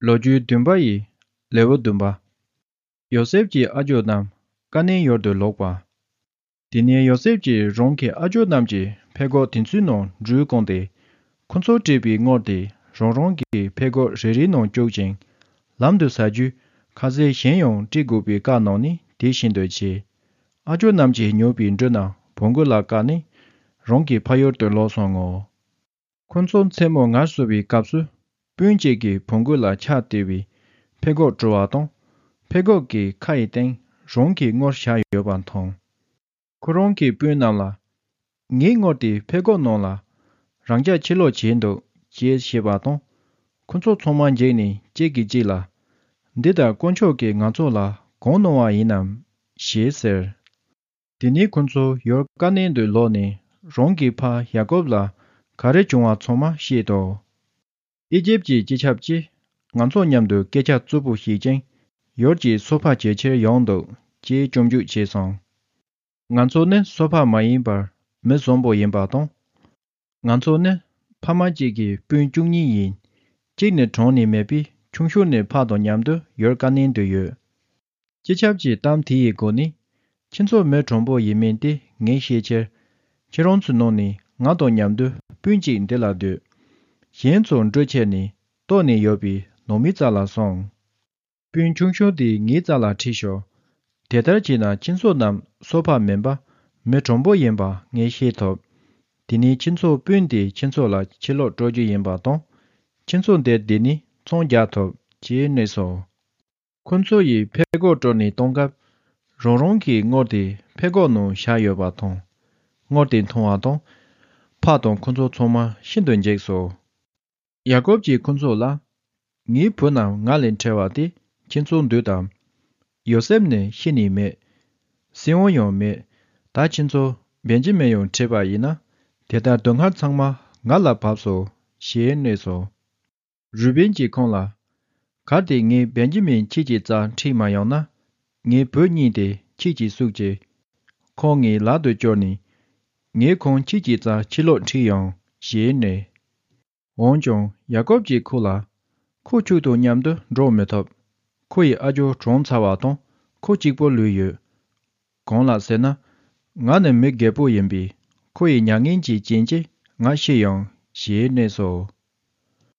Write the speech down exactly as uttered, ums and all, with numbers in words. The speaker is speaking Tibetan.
ལོ་རྒྱུས་བདུན་པ་ཡི་ལེའུ་བདུན་པ། ཡོ་སེབ་ཀྱི་ཨ་ཇོ་རྣམས་ཀ་ནན་ཡུལ་དུ་ལོག་པ། དེ་ནས་ཡོ་སེབ་ཀྱིས་རང་གི་ཨ་ཇོ་རྣམས་ཀྱི་ཕད་གོག་དེ་ཚོའི་ནང་འབྲུ་བཀང་སྟེ། ཁོ་ཚོ་བྲིས་པའི་དངུལ་དེ་རང་རང་གི་ཕད་གོག་རེ་རེའི་ནང་བཅུག་ཅིང་། ལམ་དུ་ཟ་རྒྱུ་ཁ་ཟས་གཞན་ཡང་སྤྲད་དགོས་པའི་བཀའ་གནང་ནས་དེ་བཞིན་དུ་བྱས། ཨ་ཇོ་རྣམས་ཀྱིས་ཉོས་པའི་འབྲུ་རྣམས་བོང་གུ་ལ་བཀལ་ནས་རང་གི་ཕ་ཡུལ་དུ་ལོག་སོང་ངོ་། ཁོ་ཚོ་མཚན་མོ་ངལ་གསོ་བའི་སྐབས་སུ། སྤུན་གཅིག་གིས་བོང་གུ་ལ་ཆ་སྟེར་བའི་ཕད་གོག་བྲོ་བ་དང་། ཕད་གོག་གི་ཁ་ཡི་སྟེང་རང་གི་དངུལ་བཞག་ཡོད་པ་མཐོང་། ཁོ་རང་གི་སྤུན་རྣམས་ལ། ངའི་དངུལ་དེ་ཕད་གོག་ནང་ལ་རང་འཇགས་ཕྱིར་ལོག་བྱས་འདུག་ཅེས་བཤད་པ་དང་། ཁོ་ཚོ་ཚང་མ་འཇིགས་ནས་གཅིག་གིས་གཅིག་ལ། འདི་ལྟར་དཀོན་མཆོག་གིས་ང་ཚོ་ལ་གང་གནང་བ་ཡིན་ནམ། ཞེས་ཟེར། དེ་ནས་ཁོ་ཚོ་ཡུལ་ཀ་ནན་དུ་ལོག་ནས་རང་གི་ཕ་ཡ་ཀོབ་ལ་ག་རེ་བྱུང་བ་ཚང་མ་བཤད་དོ། ཨི་ཇིབ་ཀྱི་སྤྱི་ཁྱབ་ཀྱིས་ང་ཚོ་མཉམ་དུ་སྐད་ཆ་རྩུབ་པོ་བཤད་ཅིང་ཡུལ་གྱི་སོ་པ་བྱེད་ཕྱིར་ཡོང་འདུག་ཅེས་སྐྱོན་བརྗོད་བྱས་སོང་། ང་ཚོ་ནི་སོ་པ་མ་ཡིན་པར་མི་བཟང་པོ་ཡིན་པ་དང་། ང་ཚོ་ནི་ཕ་མ་གཅིག་གི་སྤུན་བཅུ་གཉིས་ཡིན། གཅིག་ནི་གྲོངས་ནས་མེད་པས་ཆུང་ཤོས་ནི་ཕ་དང་མཉམ་དུ་ཡུལ་ཀ་ནན་དུ་ཡོད། སྤྱི་ཁྱབ་ཀྱི་གཏམ་དེ་ཡི་སྒོ་ནས། ཁྱེད་ཚོ་མི་དྲང་པོ་ཡིན་མིན་དེ་ངས་ཤེས་ཕྱིར། ཁྱེད་རང་ཚོའི་ནང་ནས་ང་དང་མཉམ་དུ་སྤུན་གཅིག་འདི་ལ་སྡོད། གཞན་ཚོ་འབྲུ་ཁྱེར་ནས་ལྟོགས་ནས་ཡོད་པའི་ནང་མི་རྩ་ལ་སོང་། སྤུན་ཆུང་ཤོས་དེ་ངའི་རྩ་ལ་ཁྲིད་ཤོག་དེ་ལྟར་བྱས་ན་ཁྱེད་ཚོ་རྣམས་སོ་པ་མིན་པ་མི་དྲང་པོ་ཡིན་པ་ངས་ཤེས་ཐུབ། དེ་ནས་ཁྱེད་ཚོའི་སྤུན་དེ་ཁྱེད་ཚོ་ལ་ཕྱིར་ལོག་སྤྲོད་རྒྱུ་ཡིན་པ་དང་། ཁྱེད་ཚོ་འདིར་བསྡད་ནས་ཚོང་རྒྱག་ཐུབ་ཅེས་སྨྲས་སོ། ཁོ་ཚོ་ཡིས་ཕད་གོག་བཀྲོལ་ནས་གཏོང་སྐབས། རང་རང་གི་དངུལ་དེ་ཕད་གོག་ནང་བཞག་ཡོད་པ་དང་། དངུལ་དེ་མཐོང་བ་དང་། ཕ་དང་ཁོ་ཚོ་ཚང་མ་ཤིན་ཏུ་འཇིགས་སོ། ཡ་ཀོབ་ཀྱིས་ཁོ་ཚོ་ལ། ངའི་བུ་རྣམས་ང་ལས་འཕྲལ་བ་དེ་ཁྱེད་ཚོ་འདུག་དམ། ཡོ་སེབ་ནི་ཤི་ནས་མེད། སྲིང་བོ་ཡང་མེད། ད་ཁྱེད་ཚོ་བེན་ཇི་མིན་ཡང་ཁྲིད་པ་ཡིན་ན། དེ་ལྟར་སྡུག་བསྔལ་ཚང་མ་ང་ལ་བབས་སོ། ཞེས་སྨྲས་སོ། རུ་བེན་གྱིས་ཁོང་ལ། གལ་ཏེ་ངས་བེན་ཇི་མིན་ཁྱེད་ཀྱི་རྩར་ཁྲིད་མ་ཡོང་ན། ངའི་བུ་གཉིས་དེ་ཁྱེད་ཀྱིས་བསུས་ཀྱིས། ཁོང་ངའི་ལག་ཏུ་བསྐྱུར་ནས། ངས་ཁོང་ཁྱེད་ཀྱི་རྩར་ཕྱིར་ལོག་ཁྲིད་ཡོང་། ཞེས་སྨྲས། འོན་ཀྱང་ཡ་ཀོབ་ཀྱིས་ཁོ་ལ། ཁོ་ཁྱོད་དང་མཉམ་དུ་འགྲོ་མི་ཐུབ། ཁོ་ཡི་ཨ་ཇོ་གྲོངས་ཚར་བ་དང་ཁོ་གཅིག་པོ་ལུས་ཡོད། གང་ལགས་ཟེར་ན། ང་ནི་མི་རྒད་པོ་ཡིན་པས་ཁོ་ཡི་མྱ་ངན་གྱི་རྐྱེན་གྱིས་ང་ཤི་ཡོང་ཞེས་སྨྲས་སོ།